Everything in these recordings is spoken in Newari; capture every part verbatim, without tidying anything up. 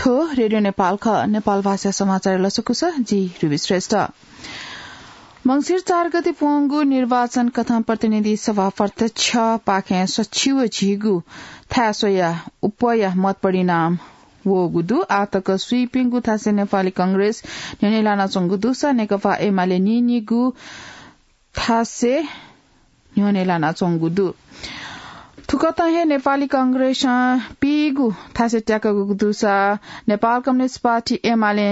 थ्व रेडियो नेपाल खः। नेपाल भाषा समाचार लसकुस, जि रुबी श्रेष्ठ। मंसिर चार गते प्वंगु निर्वाचन कथं प्रतिनिधि सभा प्रत्यक्ष पाखें सच्छि व झीगु थाय् स्वया उपया मत परिणाम वःगु दु। आतक स्वीपिंगु थासय् नेपाली कांग्रेस न्ह्यःने लानाच्वंगु दुसा नेकपा एमाले नीनिगू थासय् न्ह्यःने लानाच्वंगु दु। थुकथं हे नेपाली कांग्रेसं पीगु थासय् त्याकूगु दुसा नेपाल कम्युनिस्ट पार्टी एमाले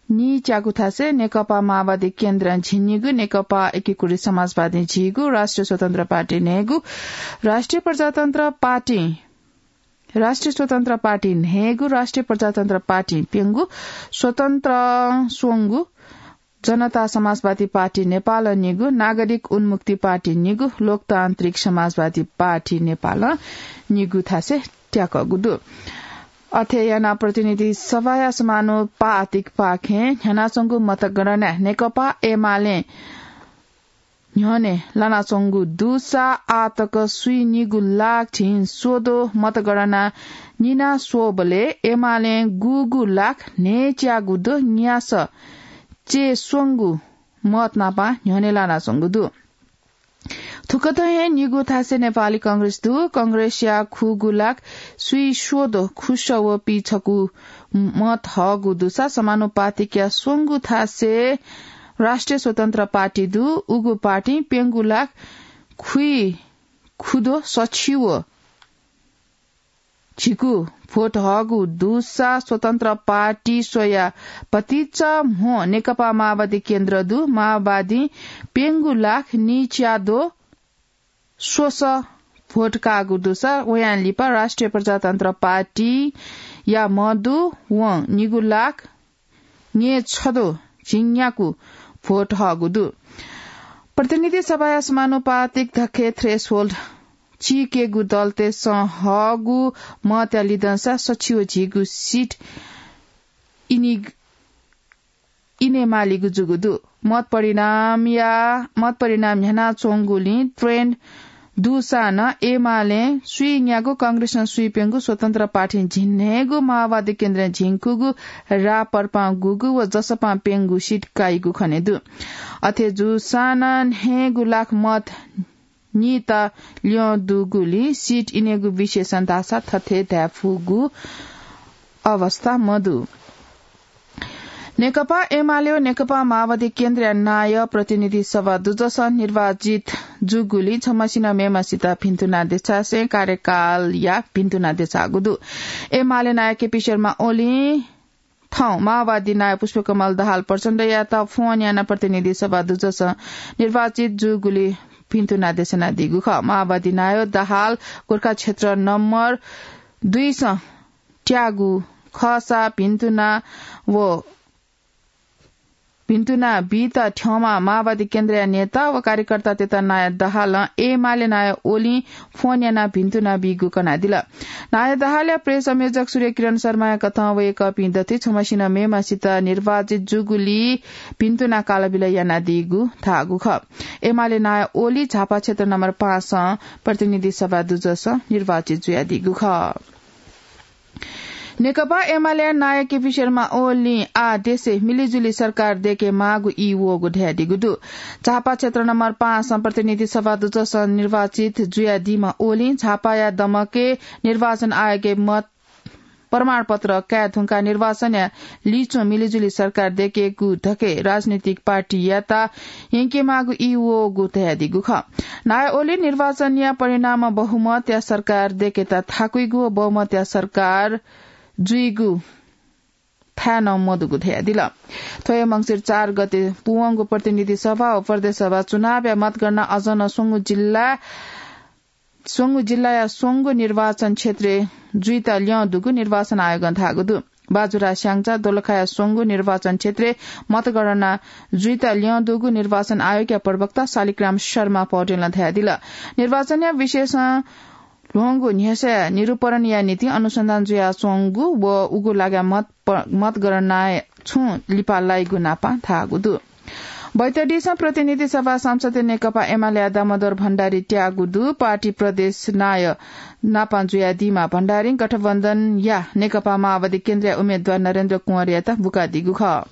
नीच्यागु थासय् नेकपा माओवादी केन्द्रं झिंनिगू, नेकपा एकीकृत समाजवादी झीगू, राष्ट्रिय स्वतन्त्र पार्टी न्हय्गू, राष्ट्रिय प्रजातन्त्र पार्टी, राष्ट्रिय स्वतन्त्र पार्टी न्हय्गू, राष्ट्रिय प्रजातन्त्र पार्टी प्यंगू, स्वतन्त्र स्वंगू, जनता समाजवादी पार्टी नेपालं निगू, नागरिक उन्मुक्ति पार्टी निगू, लोकतान्त्रिक समाजवादी पार्टी नेपालं निगू थासय् त्याकूगु दु। अथे यानाः प्रतिनिधि सभाया समानुपातिक पाखें न्ह्यानाच्वंगु मतगणनाय् नेकपा एमाले न्ह्यःने लानाच्वंगु दुसा आतक स्वीनिगू लाख झिंस्वदँ मतगणना निना स्वःबलय् एमालें गुगू लाख न्हय्च्यागू दँ न्यासः च्यय्स्वंगू मत नापं न्ह्यःने लानाच्वंगु दु। थुकथं हे निगू थासय् नेपाली कांग्रेस दु। कांग्रेसया खुगू लाख स्वीस्वदँ खुसः व पीछकू मत हःगु दुसा समानुपातिकया स्वंगू थासय् राष्ट्रिय स्वतन्त्र पार्टी दु। उगु पार्टीं प्यंगू लाख खुइखुदँ सच्छि व झिंकू भोट हःगु दुसा स्वतन्त्र पार्टी स्वया भतिचा म्हो नेकपा माओवादी केन्द्र दु। माओवादीं प्यंगू लाख नीच्याद्वः स्वसः भोट काःगु दुसा वयां लिपा राष्ट्रिय प्रजातन्त्र पार्टीया म्ह दु। वं निगू लाख न्यय्छद्वः झिंन्यागू भोट हःगु दु। प्रतिनिधि सभाया समानुपातिक धक्के threshold चीकेगु दलतय्सं हःगु मतया लिधंसा सच्छि व झिंगू सिट इने मालीगु जूगु दु। मत परिणामया, मत परिणाम न्ह्यानाच्वंगुलिं trend दुसां नं एमालें स्वीन्यागू, कांग्रेसं स्वीप्यंगू, स्वतन्त्र पार्टीं झिंन्हय्गू, माओवादी केन्द्रं झिंकूगू, राप्रपां गुगू व जसपां प्यंगू सिट काइगु खने दु। अथे जूसां नं न्हय्गू लाख मत निता ल्यं दुगुलिं सिट इनेगु विषयसं धाःसा थथे धायेफुगु अवस्था मदु। नेकपा एमाले व नेकपा माओवादी केन्द्रया नायः प्रतिनिधि सभा दुजसं निर्वाचित जूगुलिं छम्हसिनं मेम्हसित भिन्तुना देछासें कार्यकालया भिन्तुना देछाःगु दु। एमाले नायः केपी शर्मा ओलीं थौं माओवादी नायः पुष्पकमल दाहाल प्रचण्डयात फोन यानाः प्रतिनिधि सभा दुजसं निर्वाचित जूगुलिं भिन्तुना देछानादीगु खः। माओवादी नायः दाहाल गोरखा क्षेत्र नम्बर दुईसं त्याःगु खःसा भिन्तुना व भिन्तुना बीत थ्यंम्ह माओवादी केन्द्रया नेता व कार्यकर्तातय्त नायः दाहालं एमाले नायः ओलीं फोन यानाः भिन्तुना बीगु कनादिल। नायः दाहालया प्रेस संयोजक सूर्यकिरण शर्माया कथं वय्कःपिं दथुइ छम्हसिनं मेम्हसित निर्वाचित जूगुलिं भिन्तुना कालबिल यानादीगु धाःगु खः। एमाले नायः ओली झापा क्षेत्र नम्बर पाँचसं प्रतिनिधि सभा दुजसं निर्वाचित जुयादीगु खः। नेकपा एमालेया नायः केपी शर्मा ओलीं आः देशय् मिलिजुली सरकार दय्केमाःगु ई वःगु धयादीगु दु। झापा क्षेत्र नम्बर पाँचसं प्रतिनिधि सभा दुजसं निर्वाचित जुयादीम्ह ओलीं झापाया दमकय् निर्वाचन आयोगय् मत प्रमाणपत्र काये धुंकाः निर्वाचनया लिच्वं मिलिजुली सरकार दय्केगु धकाः राजनीतिक पार्टीयात यंकेमाःगु ई वःगु धयादीगु खः। नायः ओलीं निर्वाचनया परिणामं बहुमतया सरकार दय्केत थाकुइगु व बहुमतया सरकार जुइगु थाय् नं मदुगु धयादिल। थ्व हे मंसिर चार गते पूवंगु प्रतिनिधि सभा व प्रदेश सभा चुनावया मतगणना अझ नं स्वंगू जिल्ला, स्वंगू जिल्लाया स्वंगू निर्वाचन क्षेत्रय् जुइत ल्यं दुगु निर्वाचन आयोगं धाःगु दु। बाजुरा, स्याङ्जा, दोलखाया स्वंगू निर्वाचन क्षेत्रय् मतगणना जुइत ल्यं दुगु निर्वाचन आयोगया प्रवक्ता शालिग्राम शर्मा पौडेलं धयादिल। निर्वाचनया विषयसं ल्ह्वंगु न्ह्यसः निरूपणया निंतिं अनुसन्धान जुयाच्वंगु व उगु लागाय् मत प-, मतगणनाय् छुं लिपा लाइगु नापं धाःगु दु। बैतडीसं प्रतिनिधि सभा संसदीय नेकपा एमालेया दामोदर भण्डारी त्याःगु दु। पार्टी प्रदेश नायः नापं जुयादीम्ह भण्डारी गठबन्धनया नेकपा माओवादी केन्द्रया उम्मेद्वार नरेन्द्र कुँवरयात बुकादीगु खः।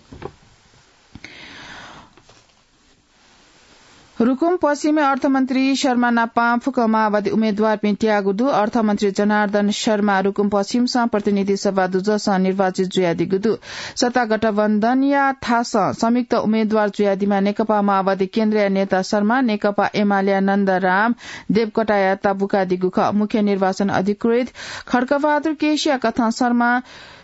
रुकुम पश्चिमय् अर्थमन्त्री शर्मा नापं फुक्क माओवादी उम्मेद्वारपिं त्याःगु दु। अर्थमन्त्री जनार्दन शर्मा रुकुम पश्चिमसं प्रतिनिधि सभा दुजसं निर्वाचित जुयादीगु दु। सत्ता गठबन्धनया थासं संयुक्त उम्मेद्वार जुयादीम्ह नेकपा माओवादी केन्द्रया नेता शर्मा नेकपा एमालेया नन्दराम देवकोटायात बुकादीगु खः। मुख्य निर्वाचन अधिकृत खड्गबहादुर केसीया कथं शर्मा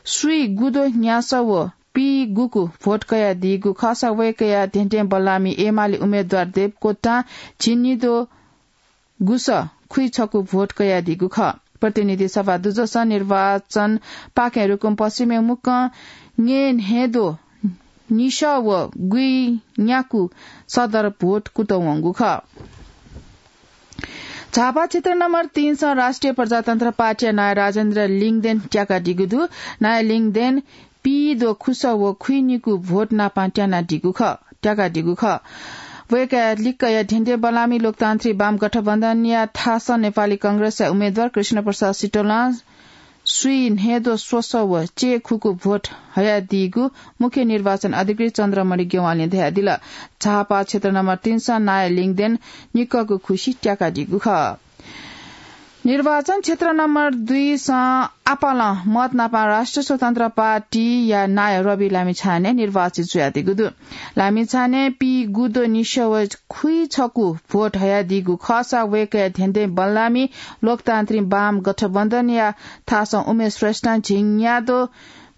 स्वीगुद्वः न्यासः व पीगुगु भोट कयादीगु खःसा वय्कःया धेंधेंबल्लाःमि एमाले उम्मेद्वार देवकोटां झिंनिद्वः गुसः खुइछकू भोट कयादीगु खः। प्रतिनिधि सभा दुजसं निर्वाचनपाखें रुकुम पश्चिमय् मुक्कं न्येन्हय्द्वः निसः व गुइन्याकू सदर भोट कुतः वंगु खः। झापा क्षेत्र नम्बर तीनसं राष्ट्रिय प्रजातन्त्र पार्टीया नायः राजेन्द्र लिङदेन त्याकादीगु दु। नायः लिङदेन पीद्वः खुसः व खुइनिकू भोट नापं त्यानादीगु खः, त्याकादीगु खः। वय्कःया लिक्कया धेंधेंबल्लाःमि लोकतान्त्रिक वाम गठबन्धनया थासं नेपाली कांग्रेसया उम्मेद्वार कृष्ण प्रसाद सिटोलं स्वीन्हय्द्वः स्वसः व च्यय्खुकू भोट हयादीगु मुख्य निर्वाचन अधिकृत चन्द्रमणि ज्ञवालीं धयादिल। झापा क्षेत्र नम्बर तीनसं नायः लिङदेन निक्कःगु खुसि त्याकादीगु खः। निर्वाचन क्षेत्र नम्बर दुईसं आपालं मत नापं राष्ट्रिय स्वतन्त्र पार्टीया नायः रवि लामिछाने निर्वाचित जुयादीगु दु। लामिछाने पीगुद्वः निसः व खुइछकू भोट हयादीगु खःसा वय्कःया धेंधेंबल्लाःमि लोकतान्त्रिक वाम गठबन्धनया थासं उमेश श्रेष्ठं झिंन्याद्वः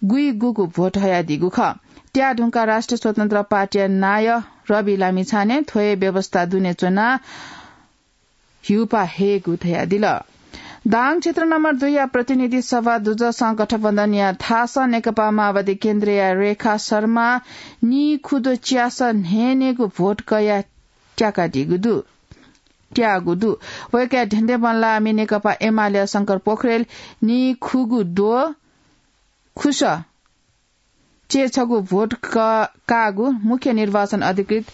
गुइगुगू भोट हयादीगु खः। त्याः धुंकाः राष्ट्रिय स्वतन्त्र पार्टीया नायः रवि लामिछाने थ्व हे व्यवस्था दुने च्वनाः ह्यूपाः हयेगु धयादिल। दाङ क्षेत्र नम्बर दुईया प्रतिनिधि सभा दुजसं गठबन्धनया थासं नेकपा माओवादी केन्द्रया रेखा शर्मा नीखुद्वः च्यासः न्हय्न्हय्गू भोट कयाः त्याकादीगु दु, त्याःगु दु। वय्कःया धेंधेंबल्लाःमि नेकपा एमालेया शंकर पोखरेल नीखुगू द्वः खुसः च्यय्छगू भोट क-, काःगु मुख्य निर्वाचन अधिकृत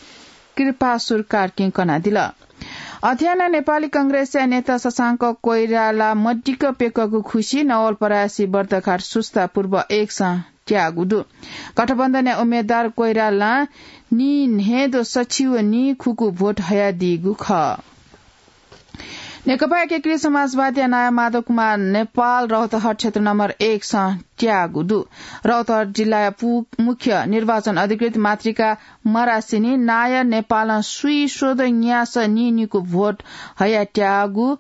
कृपासुर कार्कीं कनादिल। अथे यानाः नेपाली कांग्रेसया नेता शशांक कोइराला मदिक्क प्यकःगु खुसि नवलपरासी बर्दघाट सुस्ता पूर्व एकसं त्याःगु दु। गठबन्धनया उम्मेद्वार कोइरालां नीन्हय्द्वः सछि व नीखुकू भोट हयादीगु खः। नेकपा एकीकृत समाजवादीया नायः माधव कुमार नेपाल रौतहट क्षेत्र नम्बर एकसं त्याःगु दु। रौतहट जिल्लाया पु-, मुख्य निर्वाचन अधिकृत मातृका मरासिनी नायः नेपालं स्वीस्वद्वः न्यासः नीनिकू भोट हयाः त्याःगु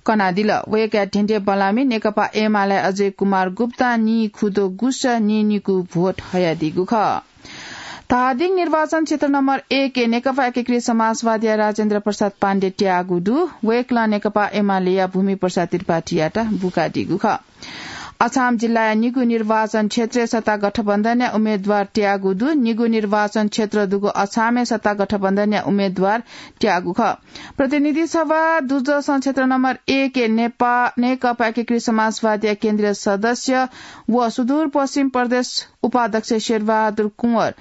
कनादिल। वय्कःया धेंधेंबल्लाःमि नेकपा एमाले अजय कुमार गुप्तां नीखुद्वः गुसः नीनिकू भोट हयादीगु खः। धादिङ निर्वाचन क्षेत्र नम्बर एकय् नेकपा एकीकृत समाजवादीया राजेन्द्र प्रसाद पाण्डे त्याःगु दु। वय्कलं नेकपा एमालेया भूमि प्रसाद त्रिपाठीयात बुकादीगु खः। अछाम जिल्लाया निगू निर्वाचन क्षेत्रय् सत्ता गठबन्धनया उम्मेद्वार त्याःगु दु। निगू निर्वाचन क्षेत्र दुगु अछामय् सत्ता गठबन्धनया उम्मेद्वार त्याःगु खः। प्रतिनिधि सभा दुजसं क्षेत्र नम्बर एकय् नेपा-, नेकपा एकीकृत समाजवादीया केन्द्रीय सदस्य व सुदूरपश्चिम प्रदेश उपाध्यक्ष शेरबहादुर कुँवर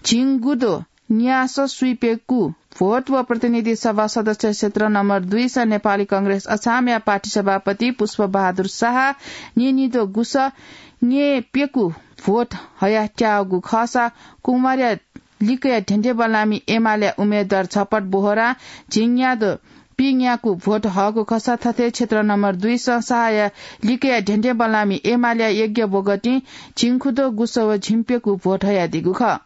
झिंगुद्वः न्यासः स्वीप्यकू भोट व प्रतिनिधि सभा सदस्य क्षेत्र नम्बर दुईसं नेपाली कांग्रेस अछामया पार्टी सभापति पुष्पबहादुर शाह नीनिद्वः गुसः न्यय्प्यकू भोट हयाः त्याःगु खःसा कुँवरया लिक्कया धेंधेंबल्लाःमि एमालेया उम्मेद्वार झपट बोहरां झिंन्याद्वः पीन्याकू भोट हःगु खःसा थथे क्षेत्र नम्बर दुईसं शाहया लिक्कया धेंधेंबल्लाःमि एमालेया यज्ञ बोगटिं झिंखुद्वः गुसः व झिंप्यकू भोट हयादीगु खः।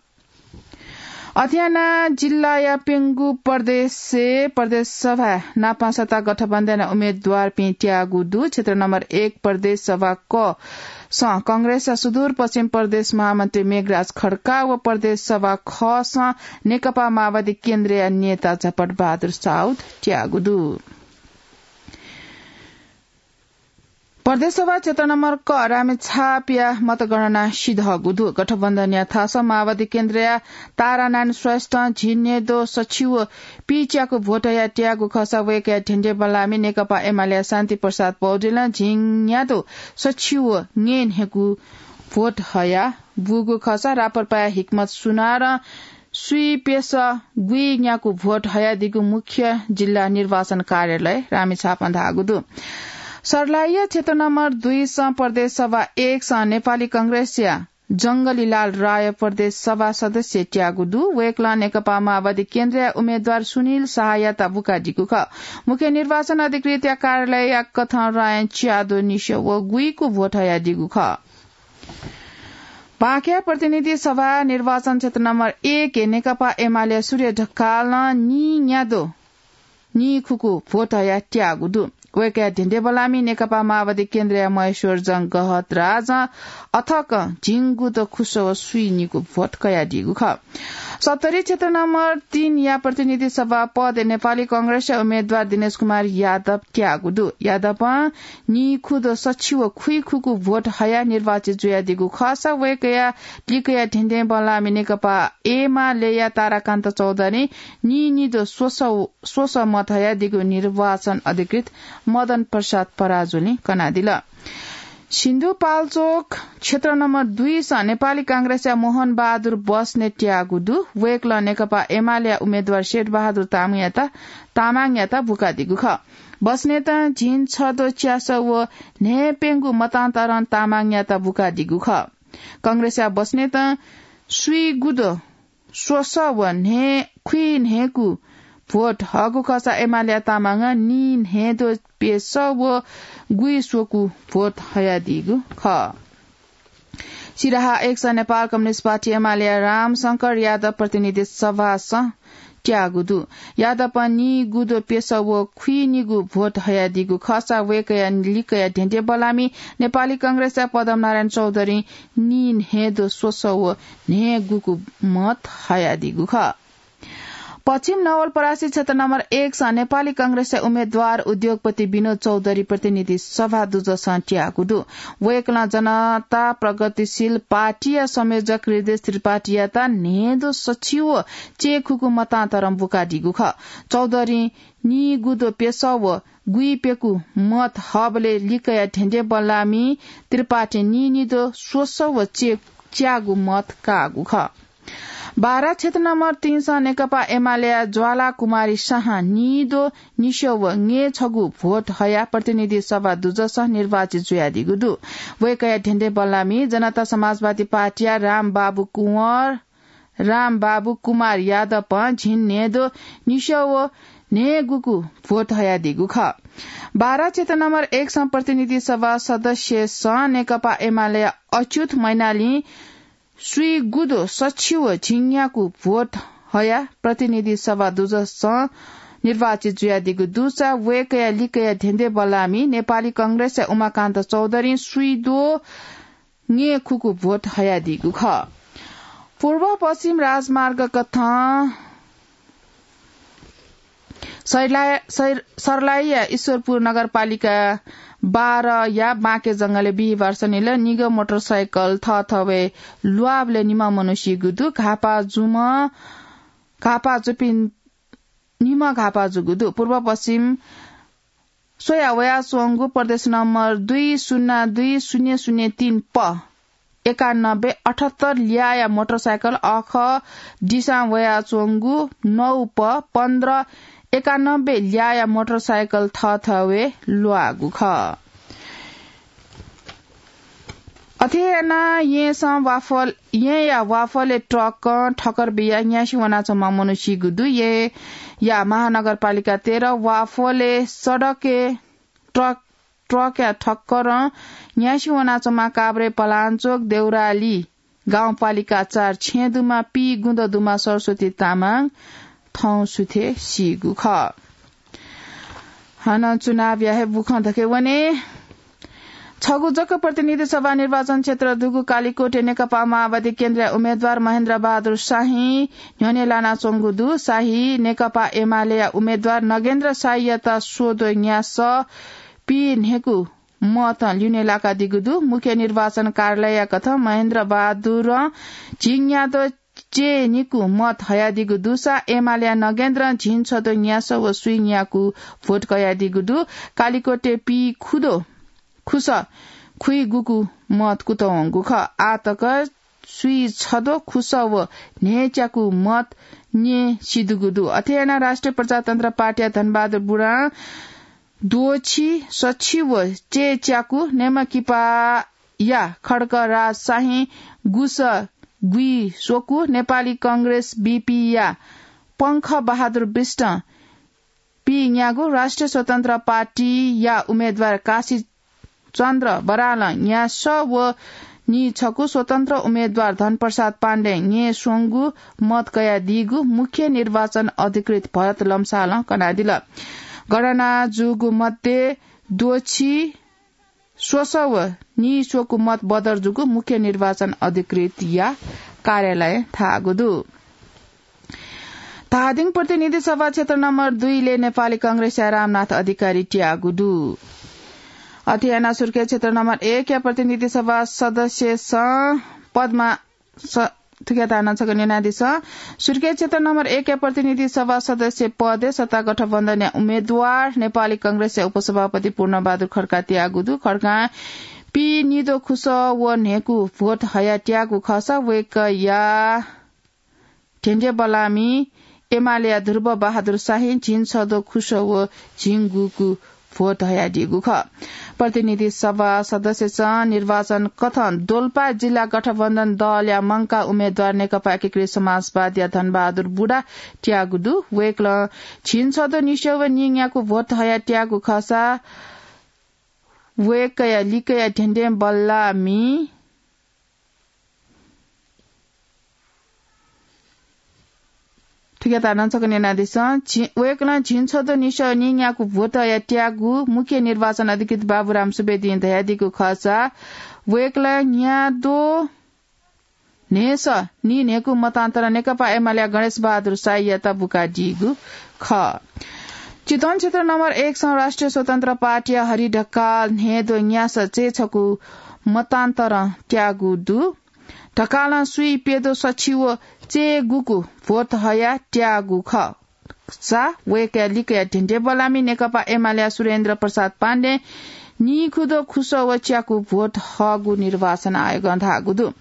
अथे यानाः जिल्लाया प्यंगू प्रदेशय् प्रदेश सभा नापं सत्ता गठबन्धनया उम्मेद्वारपिं त्याःगु दु। क्षेत्र नम्बर एक प्रदेश सभा क सं कांग्रेसया सुदूरपश्चिम प्रदेश महामन्त्री मेघराज खड्का व प्रदेश सभा ख सं नेकपा माओवादी केन्द्रया नेता झपट बहादुर साउद त्याःगु दु। प्रदेश सभा क्षेत्र नम्बर क रामेछापया मतगणना सिधःगु दु। गठबन्धनया थासं माओवादी केन्द्रया तारानारायण श्रेष्ठं झिंन्याद्वः सछि व पीच्याकू भोट हयाः त्याःगु खःसा वय्कःया धेंधेंबल्लाःमि नेकपा एमालेया शान्ति प्रसाद पौडेलं झिंन्याद्वः सछि व न्यय्न्हय्कू भोट हयाः बूगु खःसा राप्रपाया हिक्मत सुनारं स्वीप्यसः गुइन्यागू भोट हयादीगु मुख्य जिल्ला निर्वाचन कार्यालय रामेछापं धाःगु दु। सर्लाही क्षेत्र नम्बर दुई सं प्रदेश सभा एक सं नेपाली कांग्रेसया जंगलीलाल राय प्रदेश सभा सदस्य त्याःगु दु। वय्कलं नेकपा माओवादी केन्द्रया उम्मेद्वार सुनिल शाहयात बुकादीगु खः। मुख्य निर्वाचन अधिकृतया कार्यालयया कथं रायं च्याद्वः निस्याः व गुइकू भोट हयादीगु खः। बाँके प्रतिनिधि सभा निर्वाचन क्षेत्र नम्बर एक य् नेकपा एमाले सूर्य ढकालं नीन्याद्वः नीखुगू भोट हयाः त्याःगु दु। वय्कःया धेंधेंबल्लामि नेकपा माओवादी केन्द्रया महेश्वर जंग गहतराजं अथकं झिंगुद्वः खुसः व स्वीनिगू भोट कयादीगु खः। सप्तरी क्षेत्र नम्बर तीन या प्रतिनिधि सभा पदय् नेपाली कांग्रेसया उम्मेद्वार दिनेश कुमार यादव त्याःगु दु। यादवं नीखुद्वः सछि व खुइखुगू भोट हयाः निर्वाचित जुयादीगु खःसा वय्कःया लिकया धेंधेंबल्लामि नेकपा एमालेया ताराकान्त चौधरीं नीनिद्वः स्वसः, स्वसः मत हयादीगु निर्वाचन अधिकृत मदन प्रसाद पराजुलीं कनादिल। सिन्धुपाल्चोक क्षेत्र नम्बर दुई सं नेपाली कांग्रेसया मोहन बहादुर बस्नेत त्याःगु दु। वय्कलं नेकपा एमालेया उम्मेद्वार शेरबहादुर तामाङयात, तामाङयात बुकादीगु खः। बस्नेतं झिंछद्वः च्यासः व न्हय्प्यंगू मतान्तरं तामाङयात बुकादीगु खः। कांग्रेसया बस्नेतं स्वीगुद्वः स्वसः व न्हय्, खुइन्हय्गू भोट हःगु खःसा एमालेया तामाङं नीन्हय्द्वः प्यसः व गुइस्वकू भोट हयादीगु खः। सिराहा एक सं नेपाल कम्युनिस्ट पार्टी एमालेया रामशंकर यादव प्रतिनिधि सभासं त्याःगु दु। यादवं नीगुद्वः प्यसः व खुइनिगू भोट हयादीगु खःसा वय्कःया लिकया धेंधेंबल्लामि नेपाली कांग्रेसया पद्मनारायण चौधरीं नीन्हय्द्वः स्वसः व न्हय्गुगू मत हयादीगु खः। पश्चिम नवलपरासी क्षेत्र नम्बर एक सं नेपाली कांग्रेसया उम्मेद्वार उद्योगपति विनोद चौधरी प्रतिनिधि सभा दुजसं त्याःगु दु। वय्कलं जनता प्रगतिशील पार्टीया संयोजक हृदय त्रिपाठीयात न्हय्द्वः सछि व च्यय्खुगू मतान्तरं बुकादीगु खः। चौधरीं नीगुद्वः प्यसः व गुइप्यकू मत हःबलय् लिकया धेंधेंबल्लामि त्रिपाठीं नीनिद्वः स्वसः व च्य-, च्यागू मत काःगु खः। बारा क्षेत्र नम्बर तीन सं नेकपा एमालेया ज्वाला कुमारी शाहं नीद्वः निस्यः व न्हय्छगू भोट हयाः प्रतिनिधि सभा दुजसं निर्वाचित जुयादीगु दु। वय्कःया धेंधेंबल्लामि जनता समाजवादी पार्टीया रामबाबु कुँवर, रामबाबु कुमार यादवं झिंन्हय्द्वः निस्यः व न्हय्गुगू भोट हयादीगु खः। बारा क्षेत्र नम्बर एक सं प्रतिनिधि सभा सदस्यसं नेकपा एमालेया अच्युत मैनालीं स्वीगुद्वः सछि व झिंन्यागू भोट हयाः प्रतिनिधि सभा दुजसं निर्वाचित जुयादीगु दुसा वय्कःया लिकया धेंधेंबल्लामि नेपाली कांग्रेसया उमाकान्त चौधरीं स्वीद्वः न्हय्खुगू भोट हयादीगु खः। पूर्व पश्चिम राजमार्ग कथं सर्लाही, सर-, सर्लाहीया ईश्वरपुर नगरपालिका बाह्रया बाँके जंगलय् बिहिबार सनिलय् निगः मोटरसाइकल थःथवय् ल्वाःबलय् निम्ह मनू सीगु दु। घाःपाः जूम्ह, घाःपाः जूपिं निम्ह घाःपाः जूगु दु। पूर्व पश्चिम स्वया वयाच्वंगु प्रदेश नम्बर दुई सुन्ना दुई शून्य शून्य तीन प एकानब्बे अठहत्तर ल्याःया मोटरसाइकल अःखः दिसां वयाच्वंगु नौ प पन्ध्र एकानब्बे ल्याःया मोटरसाइकल थःथवय् ल्वाःगु खः। अथे यानाः येँसं वाफल, येँया वाफलय् ट्रकं ठक्कर बियाः न्यासि वनाच्वंम्ह मनू सीगु दु। येँया महानगरपालिका तेह्र वाफलय् सडकय् ट्रक, ट्रकया ठक्करं न्यासि वनाच्वंम्ह काभ्रे पलाञ्चोक देउराली गाउँपालिका चार छेँ दुम्ह पीगुन्द दुम्ह सरस्वती तामाङ थौं सुथय् सीगु खः। हानं चुनावया हे बुखँ धके वने। छगू जक प्रतिनिधि सभा निर्वाचन क्षेत्र दुगु कालीकोटय् नेकपा माओवादी केन्द्रया उम्मेद्वार महेन्द्र बहादुर शाही न्ह्यःने लानाच्वंगु दु। शाही नेकपा एमालेया उम्मेद्वार नगेन्द्र शाहीयात स्वद्वः न्यासः पीन्हय्गू मतं ल्यूने लाकादीगु दु। मुख्य निर्वाचन कार्यालयया कथं महेन्द्र बहादुरं झिंन्याद्वः च्यय्निगू मत हयादीगु दुसा एमालेया नगेन्द्रं झिंछद्वः न्यासः व स्वीन्यागू भोट कयादीगु दु। कालीकोटय् पीखुद्वः खुसः खुइगुगू मत कुतः वंगु खः। आः तक स्वीछद्वः खुसः व न्हय्च्याकु मत न्यँ सिधुगु दु। अथे यानाः राष्ट्रिय प्रजातन्त्र पार्टीया धनबहादुर बुढां द्वःछि सछि व चय्च्याकु, नेमकिपाया खड्गराज शाहीं गुसः गुइस्वकु, नेपाली कांग्रेस, बीपीया पंखबहादुर विष्टं पीन्यागू, राष्ट्रिय स्वतन्त्र पार्टीया उम्मेदवार काशी चन्द्र बरालं न्यासः व नीछकू, स्वतन्त्र उम्मेदवार धनप्रसाद पाण्डें न्यय्स्वंगू मत कयादीगु मुख्य निर्वाचन अधिकृत भरत लम्सालं कनादिल। गणना जूगु मध्ये द्वःछि स्वसः व नीस्वकू मत बदर जूगु मुख्य निर्वाचन अधिकृतया कार्यालयं धाःगु दु। धादिङ प्रतिनिधि सभा क्षेत्र नम्बर दुईले नेपाली कांग्रेसया रामनाथ अधिकारी त्याःगु दु। अथे यानाः सुर्खेत क्षेत्र नम्बर एकया प्रतिनिधि सभा सदस्यसं पदमा स-, थुकिया तानं छकः न्यनादिसँ। सुर्खेत क्षेत्र नम्बर एकया प्रतिनिधि सभा सदस्य पदय् सत्ता गठबन्धनया उम्मेदवार नेपाली कांग्रेसया उपसभापति पूर्णबहादुर खड्का त्याःगु दु। खड्कां पीनिद्वः खुसः व न्हय्कू भोट हयाः त्याःगु खःसा वय्कःया ध्यंध्यंबल्लामि एमालेया ध्रुव बहादुर शाहीं झिंछद्वः खुसः व झिंगूकू भोट हयादीगु खः। प्रतिनिधि सभा सदस्यसं निर्वाचन कथं दोलपा जिल्ला गठबन्धन दलया मंकाः उम्मेदवार नेकपा एकीकृत समाजवादीया धनबहादुर बुढा त्याःगु दु। वय्कलं झिंछद्वः निस्वः व नीन्याकू भोट हयाः त्याःगु खःसा वय्कःया लिकया ध्यंध्यंबल्लामि थुकिया तानं छकः न्यनादिसँ। झि-, वय्कलं झिंछद्वः निस्वः नीन्याकू भोट हयाः त्याःगु मुख्य निर्वाचन अधिकृत बाबुराम सुवेदीं धयादीगु खःसा वय्कलं न्याद्वः न्हय्सः नीन्हय्कू मतान्तरं नेकपा एमालेया गणेश बहादुर शाहीयात बुकादीगु खः। चितवन क्षेत्र नम्बर एकसं राष्ट्रिय स्वतन्त्र पार्टीया हरि ढकाल न्हय्द्वः न्यासः चय्छकू मतान्तरं त्याःगु दु। ढकालं स्वीप्यद्वः सछि व चय्गूकू भोट हयाः त्याःगु खःसा वय्कःया लिकया ध्यंध्यंबल्लामि नेकपा एमालेया सुरेन्द्र प्रसाद पाण्डें नीखुद्वः खुसः व च्याकू भोट हःगु निर्वाचन आयोगं धाःगु दु।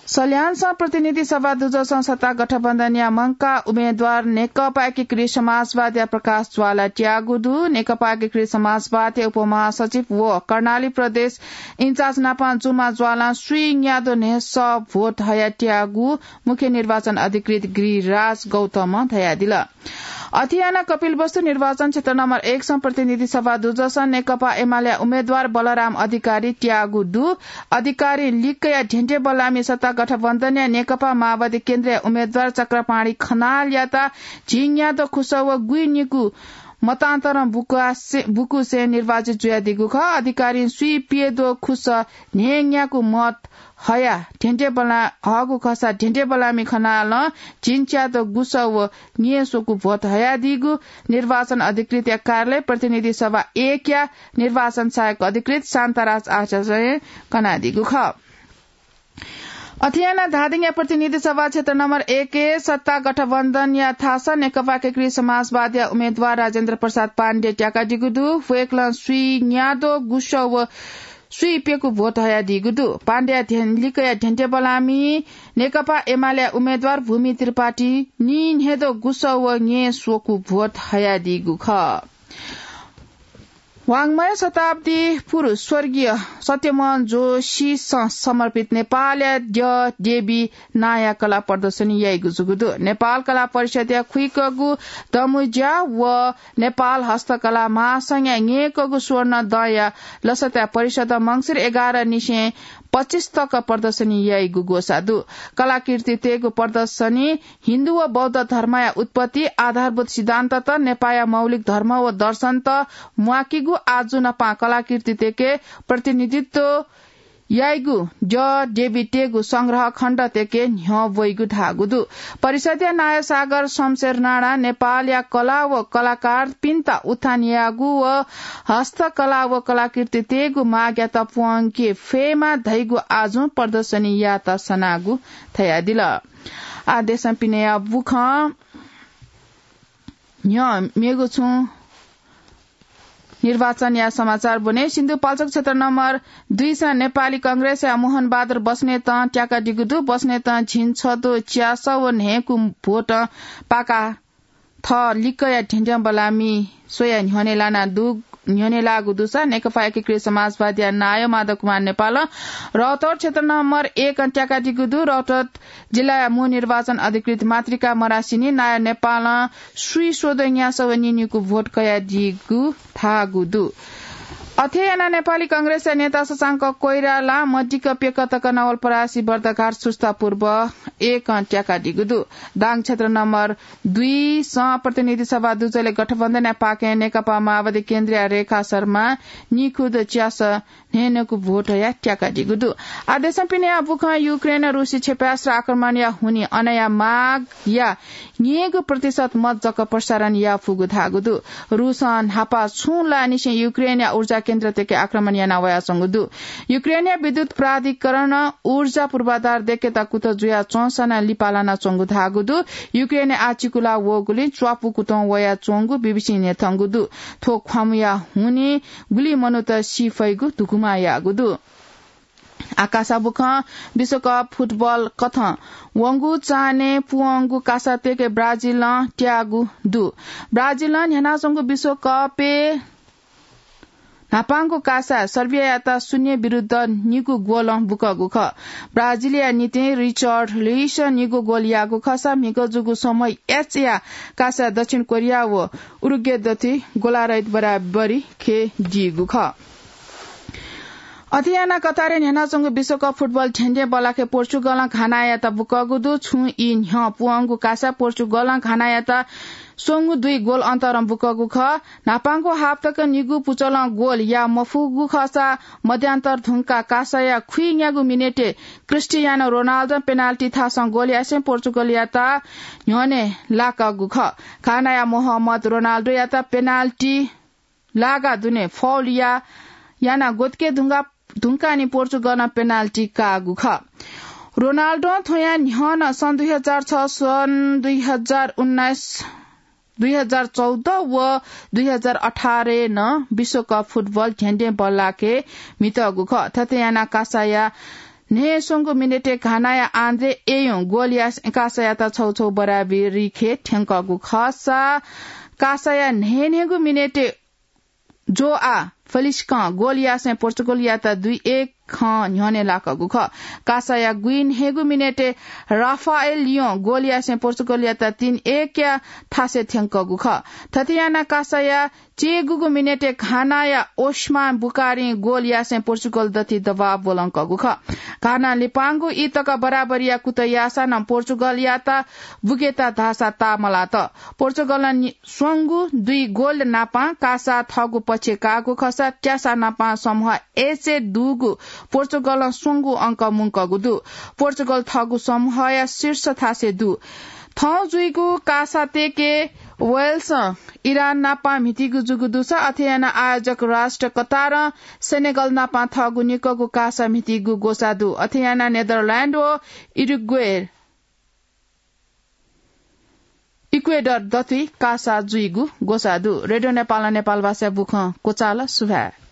सल्यानसं प्रतिनिधि सभा दुजसं सत्ता गठबन्धनया मंकाः उम्मेदवार नेकपा एकीकृत समाजवादीया प्रकाश ज्वाला त्याःगु दु। नेकपा एकीकृत समाजवादीया उपमहासचिव व कर्णाली प्रदेश इन्चार्ज नापं जुमा ज्वालां स्वीन्याद्वः न्हय्सः भोट हयाः त्याःगु मुख्य निर्वाचन अधिकृत गिरिराज गौतमं धयादिल। अथे यानाः कपिलवस्तु निर्वाचन क्षेत्र नम्बर एकसं प्रतिनिधि सभा दुजसं नेकपा एमालेया उम्मेदवार बलराम अधिकारी त्याःगु दु। अधिकारीं लिकया ध्यंध्यंबल्लामि सत्ता गठबन्धनया नेकपा माओवादी केन्द्रया उम्मेदवार चक्रपाणी खनालयात झिंन्याद्वः खुसः व गुइनिकू मतान्तरं बुकासे-, बुकुसें निर्वाचित जुयादीगु खः। अधिकारीं स्वीप्यद्वः खुसः न्हय्न्याकू मत हयाः ध्यंध्यंबल्ला-, हःगु खःसा ध्यंध्यंबल्लामि खनालं झिंच्याद्वः गुसः व न्यय्स्वकू भोट हयादीगु निर्वाचन अधिकृतया कार्यालय प्रतिनिधि सभा एकया निर्वाचन सहायक अधिकृत शान्ताराज आचार्यं कनादीगु खः। अथे यानाः धादिङया प्रतिनिधि सभा क्षेत्र नम्बर एकय् सत्ता गठबन्धनया थासं नेकपा एकीकृत समाजवादीया उम्मेदवार राजेन्द्र प्रसाद पाण्डे त्याकादीगु दु। वय्कलं स्वीन्याद्वः गुसः व स्वीप्यकू भोट हयादीगु दु। पाण्डेया ध्यं-, लिकया ध्यंध्यंबल्लामि नेकपा एमालेया उम्मेदवार भूमि त्रिपाठी नीन्हय्द्वः गुसः व न्यय्स्वकू भोट हयादीगु खः। वाङ्मय शताब्दी पुरुष स्वर्गीय सत्यमोहन जोशीसं समर्पित नेपालया द्यः देवी नांया कला प्रदर्शनी याइगु जूगु दु। नेपाल कला परिषदया खुइकःगु दमुज्या व नेपाल हस्तकला महासंघया न्यय्कःगु स्वर्ण दँया लसताय् परिषदं मंसिर एघार निसें पच्चिस तक प्रदर्शनी याइगु ग्वसाः दु। कलाकृतितय्गु प्रदर्शनी हिन्दू व बौद्ध धर्मया उत्पत्ति, आधारभूत सिद्धान्तत, नेपाःया मौलिक धर्म व दर्शनत म्वाकीगु, आजु न्हापां कलाकृतितय्के प्रतिनिधित्व याइगु द्यः देवीतय्गु संग्रह खण्डतय्के न्ह्यः वइगु धाःगु दु। परिषदया नायः सागर शमशेर राणां नेपालया कला व कलाकारपिन्त उत्थान यायेगु व हस्तकला व कलाकृतितय्गु मागयात प्वंके फयेमा धइगु आजुं प्रदर्शनी यायेत सनागु धयादिल। आः देशं पिनेया बुखँ न्ह्यः मेगु छुं निर्वाचनया समाचार ब्वने। सिन्धुपाल्चोक क्षेत्र नम्बर दुई स नेपाली कांग्रेसया मोहन बहादुर बस्नेतं त्याकादीगु दु। बस्नेतं झिंछदँ च्यासः व न्हय्कू भोटं पाका थः लिक्कया ध्यंध्यं बल्लाःमि स्वयाः न्ह्यःने लाना दु, न्ह्यःने लाःगु दुसा नेकपा एकीकृत समाजवादीया नायः माधव कुमार नेपालं रौतहट क्षेत्र नम्बर एकं त्याकादीगु दु। रौतहट जिल्लाया मू निर्वाचन अधिकृत मातृका मरासिनी नायः नेपालं स्वीस्वदँ न्यासः व नीन्यूकू भोट कयादीगु धाःगु दु। अथे यानाः नेपाली कांग्रेसया नेता शशांक कोइरालां मदिक्क प्यक्क तक नवलपरासी बर्दघाट सुस्ता पूर्व एकं त्याकादीगु दु। दाङ क्षेत्र नम्बर दुई स प्रतिनिधि सभा दुजलय् गठबन्धनया पाखें नेकपा माओवादी केन्द्रया रेखा शर्मां नीखुदँ च्यासः न्हय्न्हय्कू भोटया त्याकादीगु दु। आदेशं पिनेया बुखं युक्रेन रुसी क्षेपणास्त्र आक्रमणया हुनिं अनया मागया न्यय्गू प्रतिशत मत जक प्रसारण याफुगु धाःगु दु। रुसं न्हापा छुं लानिसें युक्रेनया ऊर्जा केन्द्रतय्के आक्रमण याना वयाच्वंगु दु। युक्रेनया विद्युत प्राधिकरणं ऊर्जा पूर्वाधार दय्केत कुतः जुयाच्वंसां नं लिपा लानाच्वंगु धाःगु दु। युक्रेनय् आः चिकुला वःगुलिं च्वापु कुतुं वयाच्वंगु बीबीसीं न्ह्यथंगु दु। थ्व ख्वामुया हुनिं गुलि मनूत सी फइगु धुकुमा याःगु दु। आकाशा बुखं विश्वकप फुटबल कथं वंगु चान्हय् पुवंगु कासातय्के ब्राजिलं त्याःगु दु। ब्राजिलं न्ह्यानाच्वंगु विश्वकपय् न्हापांगु कासाय् सर्बियायात शून्य विरुद्ध निगू गोलं बुकःगु खः। ब्राजिलया निंतिं रिचर्ड लुइसं निगू गोल याःगु खःसा म्हिगः जूगु समूह एचया कासाय् दक्षिण कोरिया व उरुग्वे दथुइ गोलरहित बराबरी खयेदीगु खः। अथे यानाः कतारय् न्ह्यानाच्वंगु विश्वकप फुटबल ध्यंध्यं बल्लाःखे पोर्चुगलं घानायात बुकःगु दु। छुं ई न्ह्यः पुवंगु कासाय् पोर्चुगलं घानायात स्वंगू दुई गोल अन्तरं बुकःगु खः। न्हापांगु हाफ तक निगू पुचलं गोल याये मफुगु खःसा मध्यान्तर धुंकाः कासाया खुइन्यागू मिनेटय् क्रिस्टियानो रोनाल्डों पेनाल्टी थासं गोल यासें पोर्चुगलयात न्ह्यःने लाकागु खः। घानाया मोहम्मद रोनाल्डोयात पेनाल्टी लागा दुने फाउल या-, यानाः ग्वतुके धुंका-, धुंकाः नि पोर्चुगलं पेनाल्टी काःगु खः। रोनाल्डों थ्वया न्ह्यः नं सन् दुई हजार छ, सन् दुई हजार उन्नाइस, दुई हजार चौध व दुई हजार अठारय् नं विश्वकप फुटबल ध्यंध्यं बल्लाःखे म्हितःगु खः। थथे यानाः कासाया न्हय्स्वंगू मिनेटय् घानाया आन्द्रे एयों गोल यासें कासायात छौ छौ बराबरी खय् थ्यंकःगु खःसा कासाया न्हय्न्हय्गू मिनेटय् जोआ फेलिक्सं गोल यासें पोर्चुगलयात दुई एक खँ न्ह्यःने लाकःगु खः। कासाया गुइन्हय्गू मिनेटय् राफाएल लियों गोल यासें पोर्चुगलयात तीन एकया थासय् थ्यंकःगु खः। थथे यानाः कासाया चय्गूगू मिनेटय् घानाया ओस्मान बुकारीं गोल यासें पोर्चुगल दथुइ दबाव ब्वलंकःगु खः। घानां लिपांगु ई तक बराबरीया कुतः याःसां नं पोर्चुगलयात बुकेत धाःसा ताःमलात। पोर्चुगलं नि-, स्वंगू दुई गोल नापं कासा थःगु पक्षय् काःगु खःसा त्यासा नापं समूह एचय् दुगु पोर्चुगलं स्वंगू अंक मुंकःगु दु। पोर्चुगल थःगु समूहया शीर्ष थासय् दु। थौं जुइगु कासातय्के वेल्सं इरान नापं म्हितीगु जूगु दुसा अथे यानाः आयोजक राष्ट्र कतारं सेनेगल नापं थःगु निक्वःगु कासा म्हितीगु ग्वसाः दु। अथे यानाः नेदरल्याण्ड व उरुग्वे इक्वेडर दथुइ कासा जुइगु ग्वसाः दु। रेडियो नेपालं नेपालभाषाया बुखँ क्वचाल। सुभाय्।